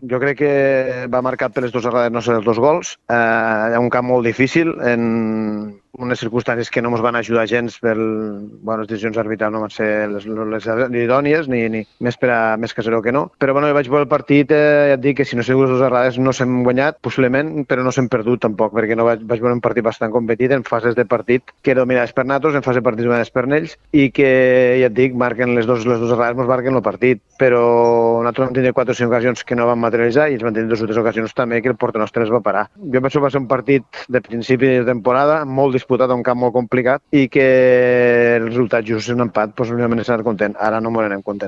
Jo crec que va marcat per les dues errades nostres els 2 gols. Hi ha un camp molt difícil, en unes circumstàncies que no ens van ajudar gens per les decisions arbitrals no van ser les idònies, ni més que 0 que no. Però jo vaig veure el partit, ja et dic que si no sé les dues errades no s'hem guanyat, possiblement, però no s'hem perdut tampoc, perquè no vaig veure un partit bastant competit en fases de partit que era dominades per nosaltres, en fase de partit dominades per ells, i que, ja et dic, marquen les dues errades, ens marquen el partit. Però nosaltres vam tenir 4 o 5 ocasions que no van materialitzar i ells van tenir 2 o 3 ocasions també que el porter nostre es va parar. Jo penso que va ser un partit de principi de temporada, molt disputat, a un camp molt complicat, i que el resultat just és un empat, doncs òbviament estar content. Ara no m'ho anem content.